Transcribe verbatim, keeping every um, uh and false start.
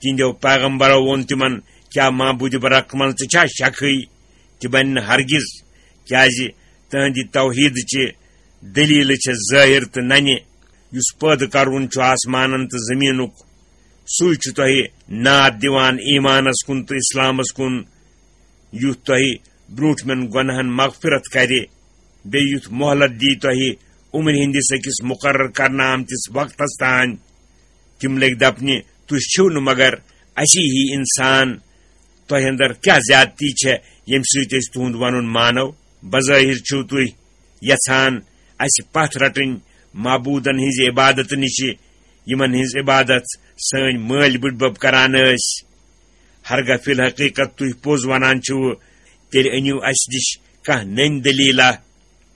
تِہنٛدیو پیغمبرو ووٚن تِمن، کیٛاہ معبوٗدِ برحق منٛز تہِ چھا شکھٕے؟ تہِ بنہِ نہٕ ہرگز، کیٛازِ تہنٛدِ توحیٖدٕچہِ دٔلیٖلہٕ چھےٚ ظٲہِر تہٕ ننہِ۔ یُس پٲدٕ کرون چھُ آسمانن تہٕ زٔمیٖنُک، سُے چھُ تۄہہِ ناد دِوان ایٖمانس کُن تہٕ اِسلامس کُن، یُتھ تۄہہِ برٛونٛٹھمٮ۪ن گۄناہن مغفرت کرِ، بیٚیہِ یُتھ مۄہلت دی تۄہہِ عمرِ ہٕنٛدِس أکِس مُقرر کرنہٕ آمتِس وقتس تام۔ تِم لٔگۍ دپنہِ، تُہۍ چھِو نہٕ مگر اسی ہی انسان، تۄہہِ اندر کیٛاہ زیادتی چھےٚ ییٚمہِ سۭتۍ أسۍ تُہُنٛد ونُن مانو؟ بظٲہِر چھِو تُہۍ یژھان اسہِ پتھ رٹٕنۍ معبوٗدن ہٕنٛزِ عبادتہٕ نِشہِ، یِمن ہٕنٛز عبادت سٲنۍ مٲلۍ بٕڈبب کران ٲسۍ۔ ہرگاہ فی الحقیقت تُہۍ پوٚز ونان چھِو، تیٚلہِ أنِو اسہِ نِش کانٛہہ نٔنۍ دٔلیٖلہ۔